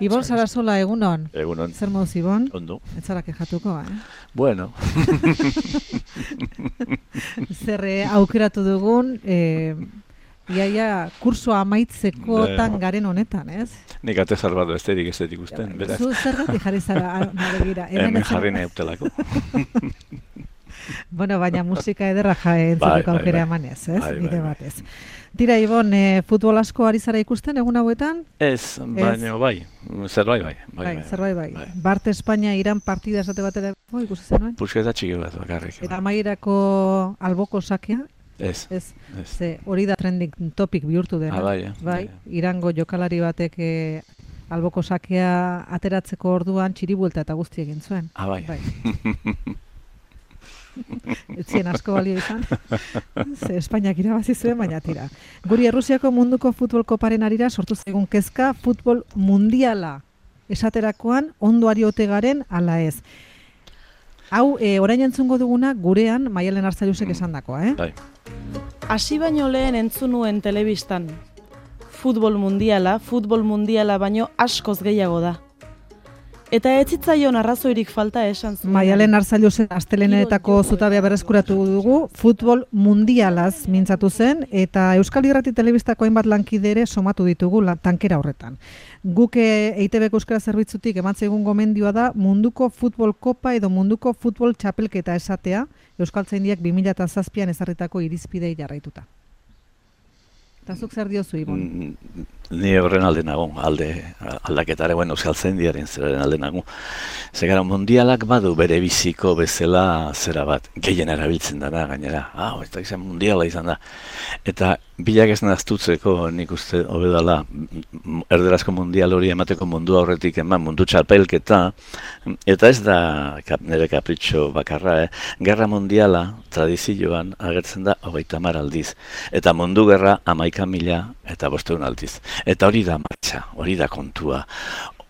Ibon Sarasola, egunon. Egunon. Zer moduz, Ibon? Ondo. Ez zara kejatuko, Bueno. Zer aukeratu dugun, iaia kursoa amaitzekotan garen honetan, ez? Nik atezar bat besterik ez dut ikusten, beraz. Zu zergatik jarri zara, begira. Hemen jarri nahi utelako. Bueno, baina musika ederra entzuteko aukera emanez, ez? Bide batez. Tira, Ibon, futbol asko ari zara ikusten egun hauetan? Ez, baina bai, zerbait bai. Zerbait bai. Bart Espainia Iran partida esate batera ikusi zenuen? Pusketa txiki bat bakarrik. Eta amaierako alboko sakea? Ez. Ze hori da trending topic bihurtu dena. Bai. Irango jokalari batek alboko sakea ateratzeko orduan txiribuelta eta guzti egin zuen. Bai. Etzien asko balio izan. Ze Espainiak irabazi zuen, baina tira. Guri Errusiako munduko futbol koparen arira sortu zaigun kezka futbol mundiala esaterakoan ondo ari ote garen ala ez. Hau, orain entzungo duguna gurean Maialen Arzallusek esandakoa, Bai. Hasi baino lehen entzun nuen telebistan. Futbol mundiala baino askoz gehiago da. Eta ez zitzaion arrazoirik falta esan zuen. Maialen Arzallusek astelehenetako zutabea berreskuratu dugu, futbol mundialaz mintzatu zen, eta Euskal Irrati Telebistako hainbat lankide ere somatu ditugu tankera horretan. Guk EITBko euskara zerbitzutik emantzaigun gomendioa da munduko futbol kopa edo munduko futbol txapelketa esatea, Euskaltzaindiak 2007an ezarritako irizpidei jarraituta. Eta zuk zer diozu, Ibon? Ni horren alde nago, aldaketare, Euskaltzaindiaren zeraren alde nago. Zegara, mundialak badu bere biziko bezala zera bat, gehien erabiltzen dana, gainera. Ez da izan mundiala izan da. Eta bilak ez naztutzeko nik uste hobedala erderazko mundial hori emateko mundu aurretik eman, mundu txapelketa, eta ez da nire kapritxo bakarra, Gerra mundiala tradizioan agertzen da 30 aldiz, eta mundu gerra 11.000 eta 500 aldiz. Eta hori da martxa, hori da kontua.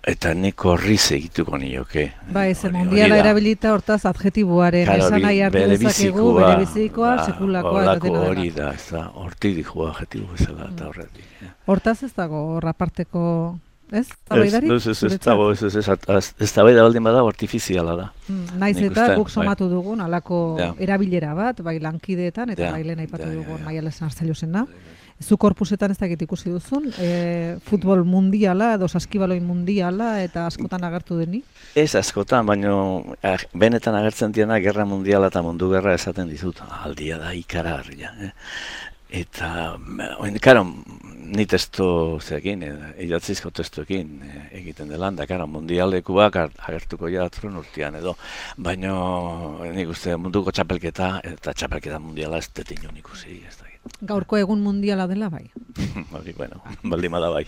Eta neko horriz egituko nioke. Ze mundiala erabilita hortaz adjetiboaren esan nahi hartu dezakegu, bere bizikoa, sekulakoa. Hori da, hortik dihua adjetibo bezala eta horretik. Hortaz ez dago horraparteko, ez? Ez tabaida baldin bada, artifiziala da. Naiz eta guk somatu dugun, alako erabilera bat, bai lankideetan, eta bai lehen aipatu dugun Maialen Arzallusena. Zu korpusetan ez dakit ikusi duzun, futbol mundiala edo saskibaloin mundiala eta askotan agertu deni? Ez askotan, baina benetan agertzen diena gerra mundiala eta mundu gerra esaten dizut. Aldia da ikaragarria. Eta, karo, ni testo zekin, idatzizko testoekin egiten dela, da, karo, mundialekuak agertuko jatzen urtean edo, baina nik uste munduko txapelketa eta txapelketa mundiala ez detin ikusi, ez da. Gaurko egun mundiala dela bai. Baldin bada bai.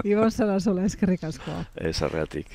Ibon Sarasola, eskerrik asko. Ez arreatik.